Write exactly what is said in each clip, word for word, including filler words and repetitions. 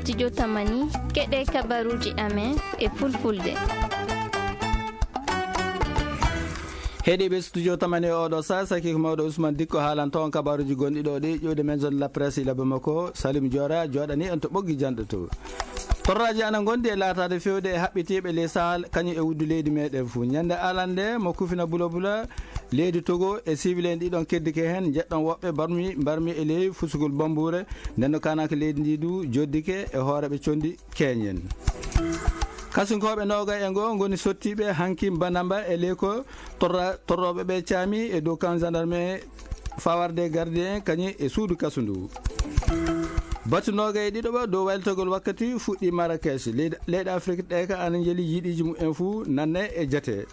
Studio Tamani, keɗe kabaruji amen e fulfulde. Heɗiɓe Studio Tamani e oɗo sa, saki ko mawɗo Ousmane Dikko haalanto on kabaruji gonɗi ɗo ɗi, ƴuwde men zone la presse ila Bamako, Salim Diora, joɗani en to ɓoggi janɗo to. Torraji ana gondi e laatade fewde e haɓɓitiɓe ley Sahel, kañum e wuddu leydi meɗen fuu. Ñande alande mo kufina bula bula, leydi Togo e civil en ɗiɗon keddike heen, njeɗɗon woɓɓe barmi, mbarmi e ley fusugol bambuure, nden no kaanaka leydi ndi du joddike e hooreɓe condi keñen. Kasinkooɓe noogay e ngoo ngoni sottiiɓe hanki Banamba e ley ko torra-, torrooɓe ɓe caami e dow kan gendarme fawarde gardien kañum e suudu kasu ndu. Batu noogay e ɗiɗo ɓa dow waylitagol wakkati fuɗɗi Marrakech. Leyɗe, leyɗe Afrik ɗe ka ana njeli yiɗiiji mumen fuu nanne e jate.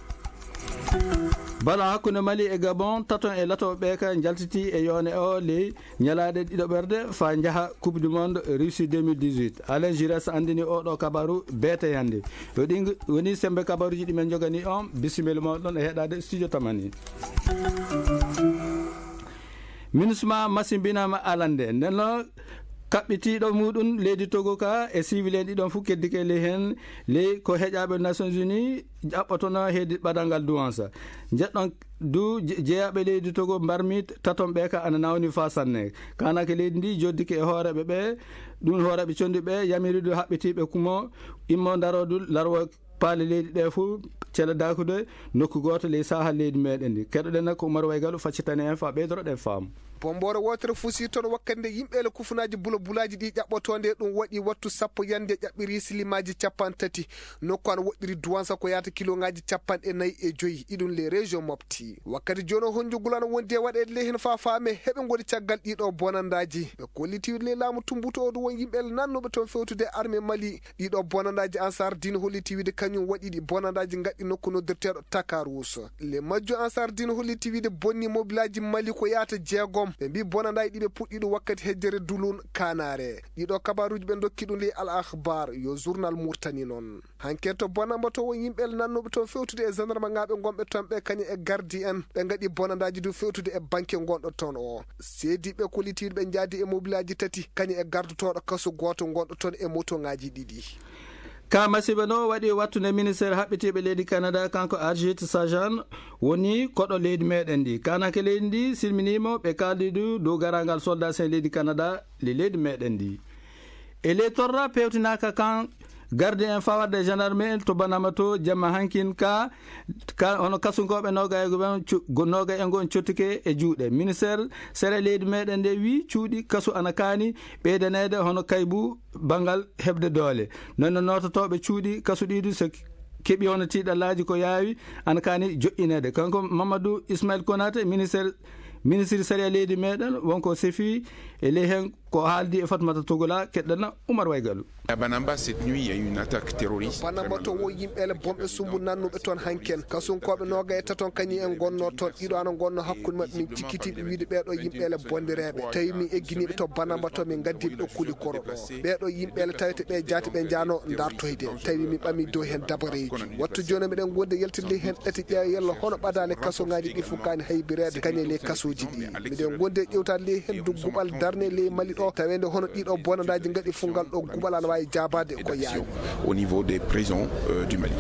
Balo hakkunde Mali e Gabon, taton e lato ɓe ka njaltiti e yoone o ley ñalaade ɗiɗo ɓerde fa njaha Coupe du Monde Russie deux mille dix-huit. Alain Giresse andini oɗo kabaru beete yande. Yo ɗi woni sembe kabaruji ɗi men jogani on, bisimilla mo ɗon e heɗade Studio Tamani. MINUSMA masimbinama alande. Nden no kaɓɓitiiɗo muɗum leydi Togo ka e civil en ɗiɗon fof keddike ley heen, ley ko heƴaaɓe Nations Unies ƴaɓɓotono heedi ɓadal ngal duwansa. Njeɗɗon du je-, jeyaaɓe leydi Togo mbarmi taton ɓe ka ana nawni fa sanne. Kanake leydi ndi joddike e hooreɓe ɓe, ɗum hooreɓe condi ɓe yamiri du haɓɓitiiɓe kumo immo ndaro du larwo paale leydi ɗe fof cele dakude nokku gooto ley saha leydi meɗen ndi. Keɗoɗen ko Umar Waygalu faccitani en fa ɓeydoroɗen faamu. Bomboore wootere fusi toon wakkati nde yimɓe ele kufunaaji bula bulaaji ɗi ƴaɓɓotoonde, ɗum waɗi wattu sappo yande ƴaɓɓiri silimaaji capanɗe tati. Nokku ana woɗɗiri duwansa ko yaata kiloŋaaji capanɗe nayi e joyi, iɗum les régions mofti. Wakkati jooni o honjugol ana wondi e waɗeede ley heen faa faame heɓe ngoni caggal ɗiɗo bonandaaji. Ɓe kolliti le laamu tumbuto o du won yimɓe ele nannuɓe toon fewtude armée Mali. Ɗiɗo bonandaaji Ansar Dine holliti wiide kañum waɗi ɗi bonandaaji ngaɗɗi nokku noddirteeɗo Takarous. Le majjo Ansar Dine holliti wiide bonni mobilaaji Mali ko yaata jeegom. Ɓe mbi bonandaaji ɗi ɓe puɗɗi ɗum wakkati hejjere Dulun Kanare. Ɗiɗo kabaruuji ɓe ndokki ɗum ley Al Akhbar, yo journal Murtani noon. Hanke to bonambato won yimɓe ele nannuɓe toon fewtude e gendarme ŋaaɓe ngonɓe toon ɓe kañum e gardi en. Ɓe ngaɗi bonandaaji du fewtude e banke ngonɗo toon o. Seediiɓe kolliti ɓe njaadi e mobilaaji tati, kañum e gardotooɗo kaso gooto ngonɗo toon e motoŋaaji ɗiɗi. Ka masiiba no waɗi wattude ministére haɓɓitiiɓe leydi Canada, kanko Harjit Sajjan woni koɗo leydi meɗen ndi. Kanake leydi ndi silminiima, ɓe kaaldi du dow garangal soldat sen leydi Canada le leydi meɗen ndi. E ley torra pewtinaaka kan garde en fawarde gendarme en to Banama to jamma hankin ka, ka hono kasunkooɓe noogay e goo ɓen cu-, go-, noogay e goo cottike e juuɗe. Ministére sere leydi meɗen nde wi cuuɗi kasu ana kaani ɓeydaneede hono kaybu banngal heɓde doole. Non no noototooɓe cuuɗi kasu ɗiɗi so keɓi hono tiiɗallaaji ko yaawi ana kaani joƴƴineede. Kanko Mamadou Ismail Konaté, ministére, ministre sariya leydi meɗen wonko sefi e ley heen ko haaldi e Fatmata Togola, keɗɗana Umar Waygalu. À Banamba, cette nuit, il y a eu une attaque terroriste. Banamba to wo yimɓe ele bomɓe sumbu nannuɓe toon hanken. Kasunkooɓe nooga e taton kañum en ngonno toon. Ɗiɗo ana ngonno hakkunde maɓɓe. Min cikkitiiɓe wiide ɓeeɗo yimɓe ele bondireeɓe. Tawi min egginiiɓe to Banamba to min ngaddiiɓe ɗo kuli koro ɗo. Ɓeeɗo yimɓe ele tawete ɓe jaati ɓe njaano dartoyde. Tawi min ɓami dow heen dabareeji. Wattu jooni miɗen gondi e yaltinde heen ɗati ƴeewa yalla hono ɓadaale kasoŋaaji ɗi fof kaani haybireede kañe ley kasooji ɗi. Miɗen gondi e ƴewtaade ley heen du guɓal darne ley Mali ɗo, taweende hono ɗiɗo bonandaaji ngaɗi fof ngal ɗo guɓal ana waawi jaabaade ko yaawi. Au niveau des prisons, euh, du Mali.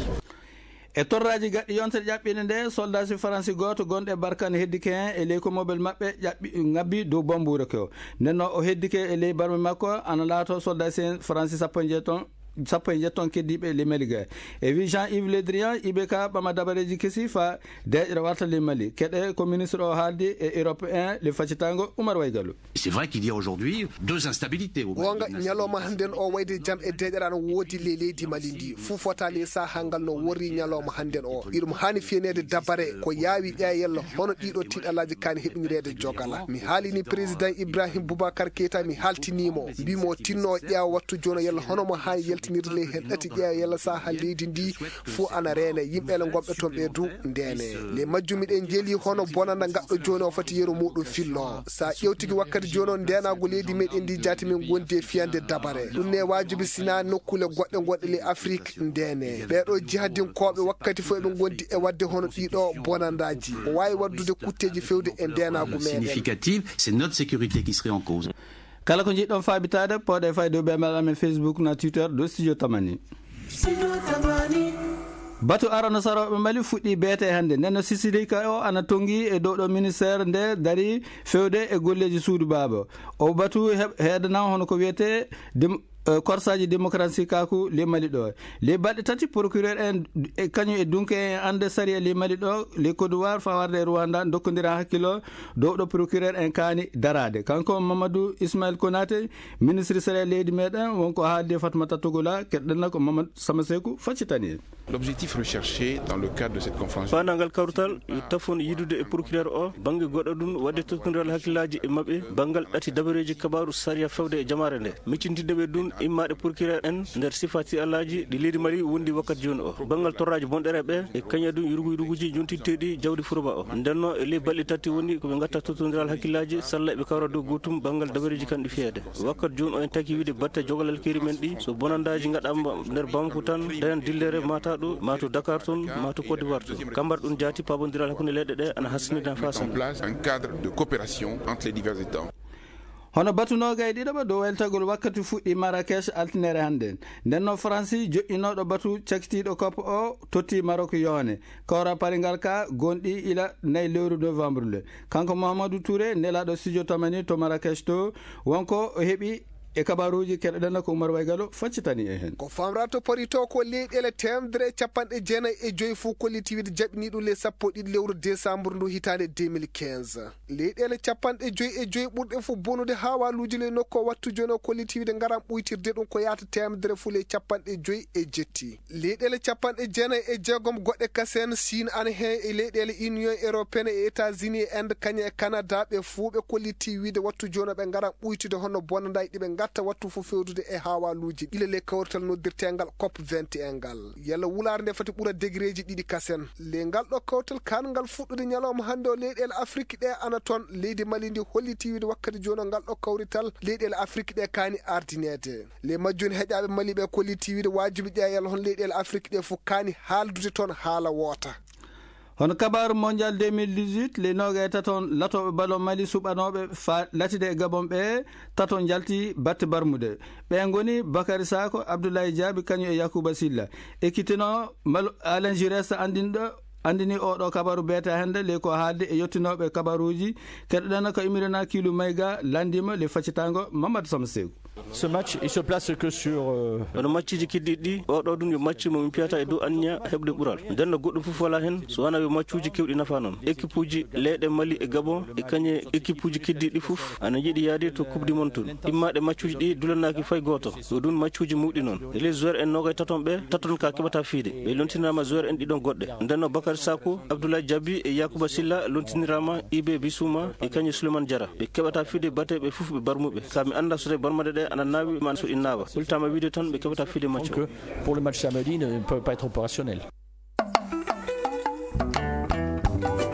E torraaji gaɗɗi yontere ƴaɓɓiinde nde, soldasi Faransi gooto gonɗo e Barkane heddike heen e ley ko mobel maɓɓe ƴaɓɓi, ngabbi dow bambuure ko. Nden no o heddike e ley barme makko, ana laato soldasi en Faransi sappo e njeeton sappo e njetton keddiiɓe le Mali ga. E wi Jean-Yves Le Drian, iɓe ka ɓama dabareeji kesi fa deeƴre warta le Mali. Keɗe ko ministre o haaldi e Europe un le faccitango Umar Waygalu. C'est vrai qu'il y a aujourd'hui deux instabilités au Mali. Wonga ñalawma hannden o wayde jam e deeƴre ana woodi le leydi Mali ndi. Fuu fota le saha ngal no worri ñalawma hannden o. Iɗum haani fiyaneede dabare ko yaawi ƴeewa yalla hono ɗiɗo tiiɗalaaji kaani heɓinireede jogala. Mi haalini président Ibrahim Boubacar Keita, mi haaltiniimo. Mbimo tinno ƴeewa wattu jooni yalla hono mo haani yaltinirde ley heen ɗati ƴeewa yalla saha leydi ndi fof ana reene. Yimɓe ele ngonɓe toon ɓe du ndeene. Nde majjum miɗen njeeli hono bonanda ngaɗɗo jooni o fati yeru muɗum fillo. Sa ƴewtiki wakkati jooni o ndeenaagu leydi meɗen ndi jaati min gondi e fiyande dabare. Ɗum ne waajibi sina nokkule goɗɗe gonɗe ley Afrik ndeene. Ɓeeɗo jihadinkooɓe wakkati fof eɓe gondi e wadde hono ɗiɗo bonandaaji. O waawi waddude kutteeji fewde e ndeenaagu meɗen. Significative, c'est notre sécurité qui serait en cause. Kala ko njiɗɗon faabitaade, pooɗe fayde e dow ɓe mbaɗa amen Facebook na Twitter dow Studio Tamani. Batu arano sarooɓe Mali fuɗɗi beete hannde. Nden no Sisidika o ana tonngi e dow ɗo ministère nde dari fewde e golleeji suudu baaba. O batu he-, heedana hono ko wiyetee dem-, eh, korsaaji démocratie kaaku le Mali ɗo. Le balɗe tati procureur en e kañum e dunke en annde sariya le Mali ɗo, le Côte d'Ivoire fawarde e Rwanda ndokkondira hakkilo dow ɗo procureur en kaani daraade. Kanko Mamadou Ismaël Konaté, ministre sariya leydi meɗen, wonko haalde Fatmata Togola, keɗɗenna ko Mamadou Samaseku faccitani en. L'objectif recherché dans le cadre de cette conférence. Faandaangal kawrital yo tafon yidude e procureur o bannge goɗɗo ɗum waɗde tottondiral hakkillaaji e maɓɓe banngal ɗati dabareeji kabaaru sariya fewde e jamaare nde. Miccintinde ɓe ɗum immaaɗe procureur en nder sifa tiiɗalaaji ɗi leydi Mali wondi wakkati jooni o. Banngal torraaji bonɗere ɓe e kañum ɗum yurgu yurguuji jontinteeɗi jawdi furoba o. Ndenno e ley balɗe tati woni ko ɓe ngatta tottondiral hakkillaaji salla ɓe kawra dow gootum banngal dabareeji kan ɗi fiyeede. Wakkati jooni o en taki wiide batte jogalal keeri men ɗi, so bonandaaji ngaɗaama nder Bamako tan, dañan dillere mata ɗo, ma to Dakar toon, ma to Côte d'Ivoire toon. Kambar ɗum jaati pabondiral hakkunde leyɗe ɗe ana hassinina Mettre en fasan. Place un cadre de coopération entre les divers États. Hono batu noogay ɗiɗo ɓa dow weltagol wakkati fuɗɗi Marrakech altinere hannde. Nden no Faransi joƴƴinooɗo batu cakitiiɗo kopp o totti Maroc yoone. Kawra paringal ka gonɗi ila nayi lewru novembre le. Kanko Mahamadou Touré, nelaaɗo studio Tamani to Marrakech to, wonko o heɓi e kabaruuji keɗoɗen ko Oumar Waygalo faccitani e heen. Ko famra to pari to ko leyɗeele teemedere e capanɗe jeenayi e joyi fof kollitiiwide jaɓini ɗum le sappo e ɗiɗi lewru décembre ndu hitaande deux mille quinze. Leyɗeele capanɗe joyi e joyi ɓurɗe fof bonude haawaaluuji le nokku o wattu jooni o kollitiiwide ngaran ɓuytirde ɗum ko yaata teemedere fof le capanɗe joyi e jetti. Leyɗeele capanɗe jeenayi e jeegom goɗɗe kasen, Siin ana heen e leyɗeele Union Européenne e États-Unis e Inde kañum e Canada, ɓe fuu ɓe kolliti wiide wattu jooni ɓe ngara ɓuytude hono bonandaay ɗi ɓe ngatta wattu fof fewdude e haawaaluuji ɗi le kawrital noddirteengal COP vingt et un ngal. Yalla wulaare nde foti ɓura degereeji ɗiɗi kasen. Le ngal ɗo kawrital kaan ngal fuɗɗude ñalawma hannde o leyɗeele Afrik ɗe ana toon. Leydi Mali ndi holliti wiide wakkati jooni o ngal ɗo kawrital leyɗeele Afrik ɗe kaani ardineede. Le majjum heƴaaɓe Mali ɓe kolliti wiide waajibi ƴeewa yalla hon leyɗeele Afrik ɗe fof kaani haaldude toon haala woota. Hono kabaaru mondial deux mille dix-huit, le nooga e taton latooɓe ballon Mali suɓanooɓe fa-, latide e Gabon ɓe taton njalti batte barmude. Ɓe ngoni Bakary Sako, Abdoulaye Diaby, kañum e Yacouba Sylla. Ekkitinoo Mal-, Alain Giresse anndinɗo anndini oɗo kabaru beete hannde le ko haalde e yettinooɓe kabaruuji. Keɗoɗen ko Imirina Kilu Mayga, lanndima le faccitango Mamadou Sama Seeku. Ce match, il se place que sur, euh, Hono matchuuji keddiiɗi ɗi, oɗo ɗum yo match mo min piyata e dow anniya heɓde ɓural. Nden no goɗɗum fof wala hen, so wona yo matchuuji kewɗi nafa noon. Équipe uji leyɗe Mali e Gabon, e kañe équipe uji keddiiɗi fof, ana yiɗi yaade to Coupe du Monde tun. Immaade matchuuji ɗi dulanaaki fay gooto. Ko ɗum matchuuji mawɗi noon. E les joueurs en noogay taton ɓe, taton ka keɓata fiide. Ɓe lontinama joueurs en ɗiɗon goɗɗe. Nden no Bakary Sako, Abdoulaye Diaby e Yacouba Sylla lontinirama Ibe Bissouma e kañum Souleymane Diarra. Ɓe keɓata fiide batte ɓe fof ɓe barmuɓe. Ka mi annda so tawi barmade ɗe ana naawi ma so ɗi naawa. Hultama wiide tan ɓe keɓata fiide match o. Donc, euh, pour le match samedi, ne peut pas être opérationnel.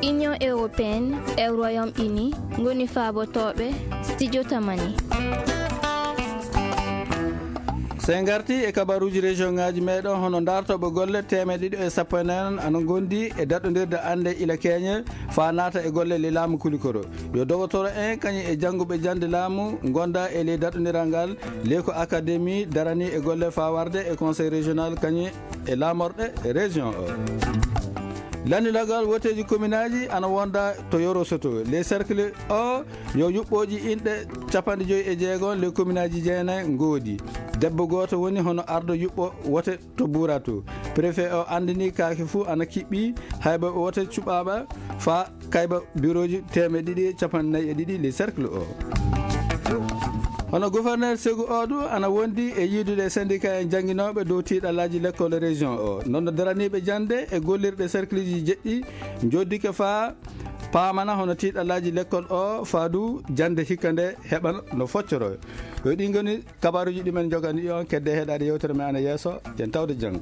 Union européenne e Royaume-Uni ngoni faabotooɓe Studio Tamani. So en ngarti e kabaruuji région ngaaji meɗen, hono dartooɓe golle teemeɗɗe ɗiɗi e sappo e nayi ana ngondi e daɗɗondirde annde ila keñe faa naata e golle le laamu kulikoro. Yo dogotoro en kañum e jannguɓe jannde laamu ngonda e ley daɗɗondiral ngal, ley ko académie darani e golle faa warde e conseil régional kañum e laamorɗe région o. Lanndinagol woteeji kominaaji ana wonda to Yoro Soto. Les cercles o yo yuɓɓooji inɗe capanɗe joyi e jeego le kominaaji jeenayi ngoodi. Debbo gooto woni hono ardo yuɓɓo wote to Buuratu. Préfet o anndini kaake fuu ana kiɓɓi, hayba wote cuɓaama faa kayba birooji teemeɗɗe ɗiɗi e capanɗe nayi e ɗiɗi le cercle o. Hono gouverneur Segu o du ana wondi e yiidude e syndicat en jannginooɓe dow tiiɗalaaji lekkol région o. Noon no daraniiɓe jannde e gollirɗe cercleji jeɗɗi njoddike faa paamana hono tiiɗalaaji lekkol o faa du jannde hikka nde heɓa no foccoro. Ko ɗi ngoni kabaruuji ɗi men njogani on, kedde heɗaade yewtere men ana yeeso, yen tawde janngo.